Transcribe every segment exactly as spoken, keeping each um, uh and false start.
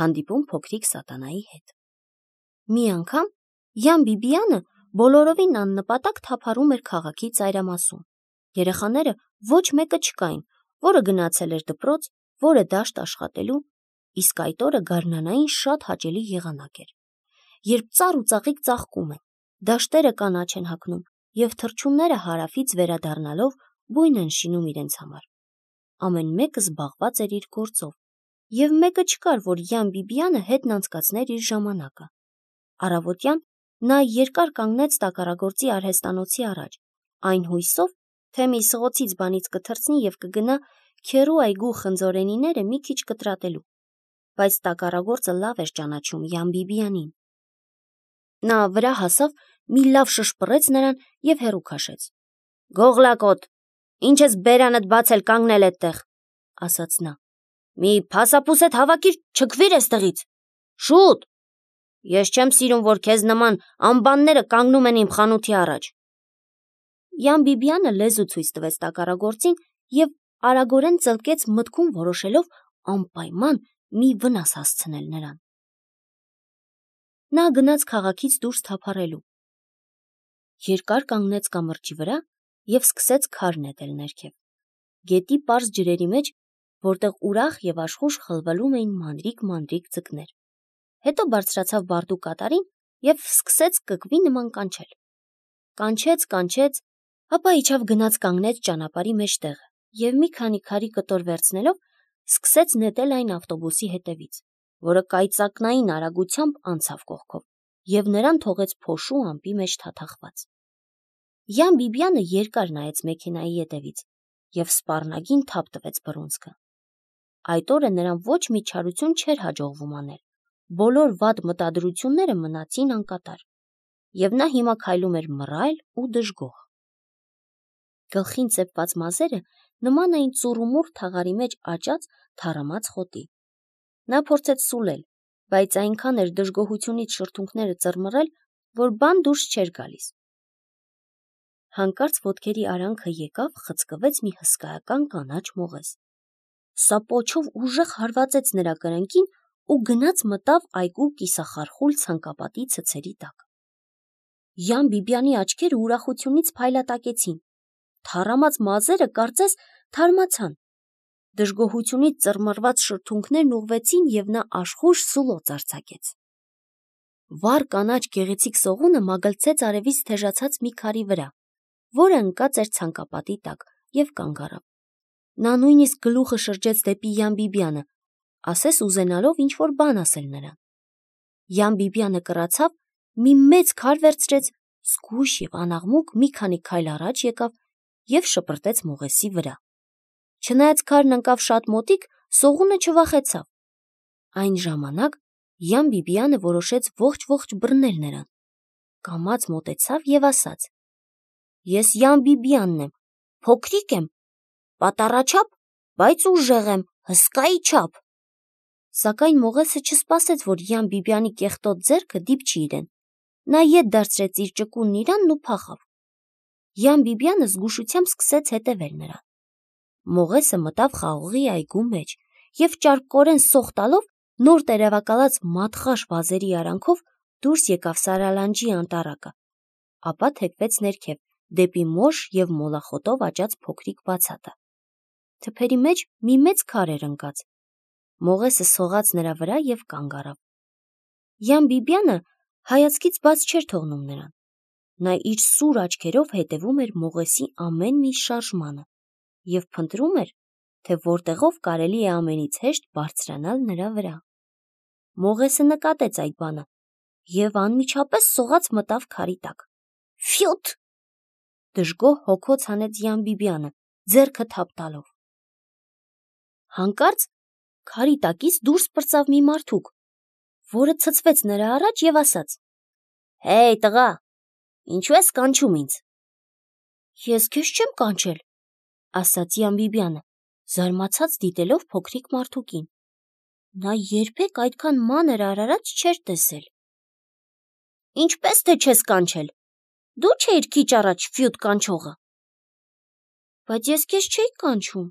հանդիպում փոքրիկ սատանայի հետ։ Մի անգամ Յան Բիբիանը բոլորովին աննպատակ թափառում էր քաղաքի ծայրամասում։ Երեխաները ոչ մեկը չկային, որը գնացել էր դպրոց, որը դաշտ աշխատելու, իսկ այդ օրը գարնանային շատ հաճելի եղանակ էր։ Երբ ծառ ու ծաղիկ ծաղկում են, դաշտերը կանաչ են հագնում և թռչունները հարավից վերադառնալով բույն են շինում իրենց համար։ Ամեն մեկը զբաղված էր իր գործով, և մեկը չկար, որ Յան Բիբիանը հետն անցկացներ իր ժամանակը։ Առավոտյան նա երկար կանգնեց տակառագործի արհեստանոցի առաջ, այն հույսով, թե մի սղոցից բանից կթռցնի և կգնա քեռու այգու խնձորենիները մի քիչ կտրատելու, բայց տակառագործը լավ էր ճանաչում Յան Բիբիանին։ Նա վրա հասավ, մի լավ շշպռեց նրան և հեռու քաշեց։ «Գողլակոտ, ինչ ես բերանդ բացել կանգնել էդտեղ», ասաց նա։ «Մի փասափուսեդ հավաքիր, չքվիր էստեղից։ Շուտ։ Ես չեմ սիրում, որ քեզ նման ամբանները կանգնում են իմ խանութի առաջ»։ Յան Բիբիանը լեզու ցույց տվեց տակառագործին և արագորեն ծլկեց, մտքում որոշելով անպայման մի վնաս հասցնել նրան։ Նա գնաց քաղաքից դուրս թափառելու։ Երկար կանգնեց կամրջի վրա և սկսեց քար նետել ներքև, գետի պարզ ջրերի մեջ, որտեղ ուրախ և աշխույժ խլվլում էին մանրիկ-մանրիկ ձկներ։ Հետո բարձրացավ բարդու կատարին և սկսեց կկվի նման կանչել։ Կանչեց, կանչեց, ապա իջավ գնաց կանգնեց ճանապարհի մեջտեղը և մի քանի քարի կտոր վերցնելով սկսեց նետել այն ավտոբուսի հետևից, որը կայծակնային արագությամբ անցավ կողքով և նրան թողեց փոշու ամպի մեջ թաթախված։ Յան Բիբիանը երկար նայեց մեքենայի ետևից և սպառնագին թափ տվեց բռունցքը։ Այդ օրը նրան ոչ մի չարություն չէր հաջողվում անել, բոլոր վատ մտադրությունները մնացին անկատար, և նա հիմա քայլում էր մռայլ ու դժգոհ։ Գլխին ծեփված մազերը նման էին ծուռումուռ թաղարի մեջ աճած թառամած խոտի։ Նա փորձեց սուլել, բայց այնքան էր դժգոհությունից շրթունքները ծռմռել, որ բան դուրս չէր գալիս։ Հանկարծ ոտքերի արանքը եկավ, խցկվեց մի հսկայական կանաչ մողես։ Սա պոչով ուժեղ հարվածեց նրա կրնկին ու գնաց մտավ այգու կիսախարխուլ ցանկապատի ցցերի տակ։ Յան Բիբիանի աչքերը ուրախությունից փայլատակեցին։ Թառամած մազերը կարծես թարմացան։ Դժգոհությունից ծռմռված շրթունքներն ուղղվեցին, և նա աշխույժ սուլոց արձակեց։ Վառ կանաչ գեղեցիկ սողունը մագլցեց արևից թեժացած մի քարի վրա, որը ընկած էր ցանկապատի տակ, և կանգ առավ։ Նա նույնիսկ գլուխը շրջեց դեպի Յան Բիբիանը, ասես ուզենալով ինչ-որ բան ասել նրան։ Յան Բիբիանը կռացավ, մի մեծ քար վերցրեց, զգույշ և անաղմուկ մի քանի քայլ առաջ եկավ և շպրտեց մողեսի վրա։ Չնայած քարն ընկավ շատ մոտիկ, սողունը չվախեցավ։ Այն ժամանակ Յան Բիբիանը որոշեց ողջ-ողջ բռնել նրան։ Կամաց մոտեցավ և ասաց. «Ես Յան Բիբիանն եմ, փոքրիկ եմ, պատառաչափ, բայց ուժեղ եմ, հսկայի չափ»։ Սակայն մողեսը չսպասեց, որ Յան Բիբիանի կեղտոտ ձեռքը դիպչի իրեն։ Նա ետ դարձրեց իր ճկունն իրան ու փախավ։ Յան Բիբիանը զգուշությամբ սկսեց հետևել նրան։ Մողեսը մտավ խաղողի այգու մեջ և ճարպկորեն սոխ տալով նոր տերևակալած մատխաշ վազերի արանքով դուրս եկավ Սարալանջի անտառակը, ապա թեքվեց ներքև, դեպի մոշ և մոլախոտով աճած փոքրիկ բացատը։ Թփերի մեջ մի մեծ քար էր ընկած։ Մողեսը սողաց նրա վրա և կանգ առավ։ Յան Բիբիանը հայացքից բաց չէր թողնում նրան։ Նա իր սուր աչքերով հետևում էր մողեսի ամեն մի շարժմանը և փնտրում էր, թե որտեղով կարելի է ամենից հեշտ բարձրանալ նրա վրա։ Մողեսը նկատեց այդ բանը և անմիջապես սողաց մտավ քարի տակ։ «Ֆյութ», դժգոհ հոգոց հանեց Յան Բիբիանը, ձեռքը թափ տալով։ Հանկարծ քարի տակից դուրս պրծավ մի մարդուկ, որը ցցվեց նրա առաջ և ասաց. «Հեյ, տղա, ինչու ես կանչում ինձ»։ «Ես քեզ չեմ կանչել», ասաց Յան Բիբիանը, զարմացած դիտելով փոքրիկ մարդուկին։ Նա երբեք այդքան մանր արարած չէր տեսել։ «Ինչպես թե չես կանչել, դու չէիր քիչ առաջ ֆյութ կանչողը»։ «Բայց ես քեզ չէի կանչում»։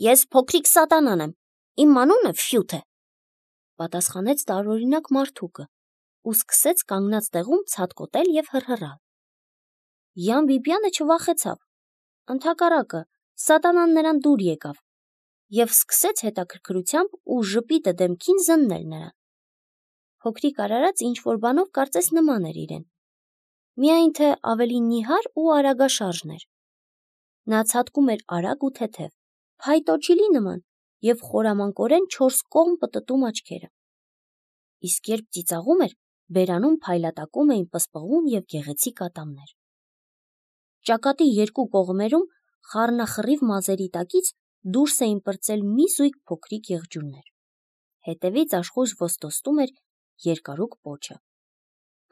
«Ես փոքրիկ սատանան եմ, իմ անունը Ֆյութ է»։ պատասխանեց տարօրինակ մարդուկը ու սկսեց կանգնած տեղում ցատկոտել և հռհռալ։ Յան Բիբյանը չվախեցավ, ընդհակառակը, սատանան նրան դուր եկավ և սկսեց հետաքրքրությամբ ու ժպիտը դեմքին զննել նրան։ Փոքրիկ արարած ինչ-որ բանով կարծես նման էր իրեն, միայն թե ավելի նիհար ու արագաշարժն էր։ Նա ցատկում էր արագ ու թեթև, փայտոջիլի նման և խորամանկորեն չորս կողմ պտտում աչքերը։ Իսկ երբ ծիծաղում էր, բերանում փայլատակում էին պսպղուն և գեղեցիկ ատամներ։ Ճակատի երկու կողմերում խառնախռիվ մազերի տակից դուրս էին պրծել մի զույգ փոքրիկ եղջյուրներ։ Հետևից աշխույժ ոստոսում էր երկարուկ պոչը։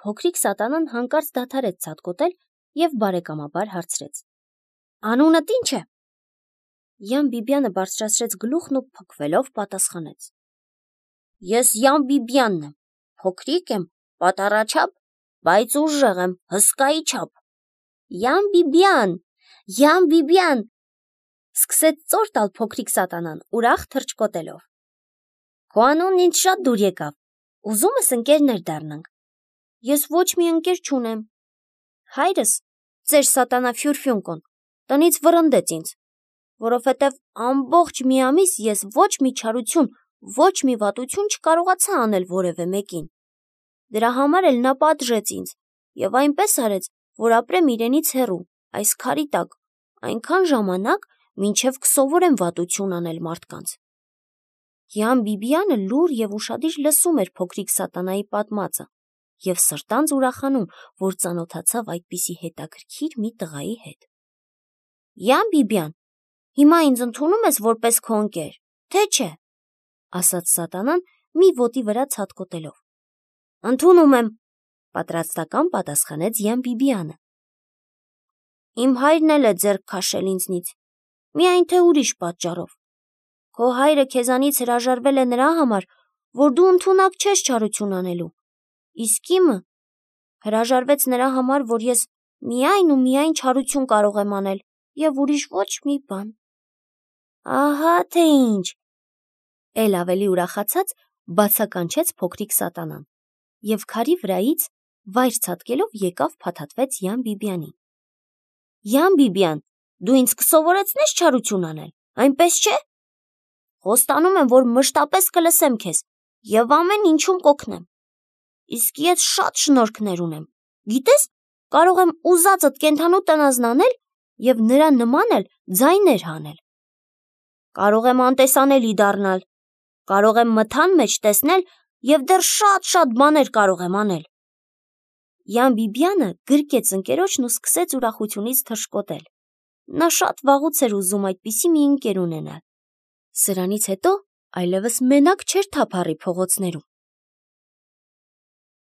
Փոքրիկ սատանան հանկարծ դադարեց ցատկոտել և բարեկամաբար հարցրեց. «Անունդ ի՞նչ է»։ Յան Բիբյանը բարձրացրեց գլուխն ու փքվելով պատասխանեց. «Ես Յան Բիբյանն եմ, փոքրիկ եմ, պատառաչափ, բայց ուժեղ եմ, հսկայի չափ»։ «Յան Բիբյան, Յան Բիբյան», սկսեց ծոր տալ փոքրիկ սատանան ուրախ թռչկոտելով։ «Քո անունն ինձ շատ դուր եկավ, ուզում ես ընկերներ դառնանք»։ «Ես ոչ մի ընկեր չունեմ։ Հայրս, ծեր սատանա Ֆյուրֆյունկոն, տնից վռնդեց ինձ, որովհետև ամբողջ մի ամիս ես ոչ մի չարություն, ոչ մի վատություն չկարողացա անել որևէ մեկին։ Դրա համար էլ նա պատժեց ինձ և այնպես արեց, որ ապրեմ իրենից հեռու, այս քարի տակ, այնքան ժամանակ, մինչև կսովորեմ վատություն անել մարդկանց»։ Յան Բիբյանը լուռ և ուշադիր լսում էր փոքրիկ սատանայի պատմածը և սրտանց ուրախանում, որ ծանոթացավ այդպիսի հետաքրքիր մի տղայի հետ։ «Յան Բիբյան, հիմա ինձ ընդունո՞ւմ ես որպես քո ընկեր, թե չէ», ասաց սատանան մի ոտի վրա ցատկոտելով։ «Ընդունում եմ», պատրաստական պատասխանեց Յան Բիբյանը։ «Իմ հայրն էլ է ձեռք քաշել ինձնից, միայն թե ուրիշ պատճառով։ Քո հայրը քեզանից հրաժարվել է նրա համար, որ դու ընդունակ չես չարություն անելու, իսկ իմը հրաժարվեց նրա համար, որ ես միայն ու միայն չարություն կարող եմ անել և ուրիշ ոչ մի բան»։ «Ահա թե ինչ», էլ ավելի ուրախացած բացականչեց փոքրիկ սատանան և քարի վրայից վայր ցատկելով եկավ փաթաթվեց Յան Բիբյանին։ «Յան Բիբյան, դու ինձ կսովորեցնե՞ս չարություն անել, այնպես չէ՞։ Խոստանում եմ, որ մշտապես կլսեմ քեզ և ամեն ինչում կօգնեմ։ Իսկ ես շատ շնորհքներ ունեմ, գիտես, կարող եմ ուզածդ կենդանու տնազն անել և նրա նման էլ ձայներ հանել։ Կարող եմ անտեսանելի դառնալ, կարող եմ մթան մեջ տեսնել և դեռ շատ-շատ բաներ կարող եմ անել»։ Յան Բիբյանը գրկեց ընկերոջն ու սկսեց ուրախությունից թռչկոտել։ Նա շատ վաղուց էր ուզում այդպիսի մի ընկեր ունենալ։ Սրանից հետո այլևս մենակ չէր թափառի փողոցներում։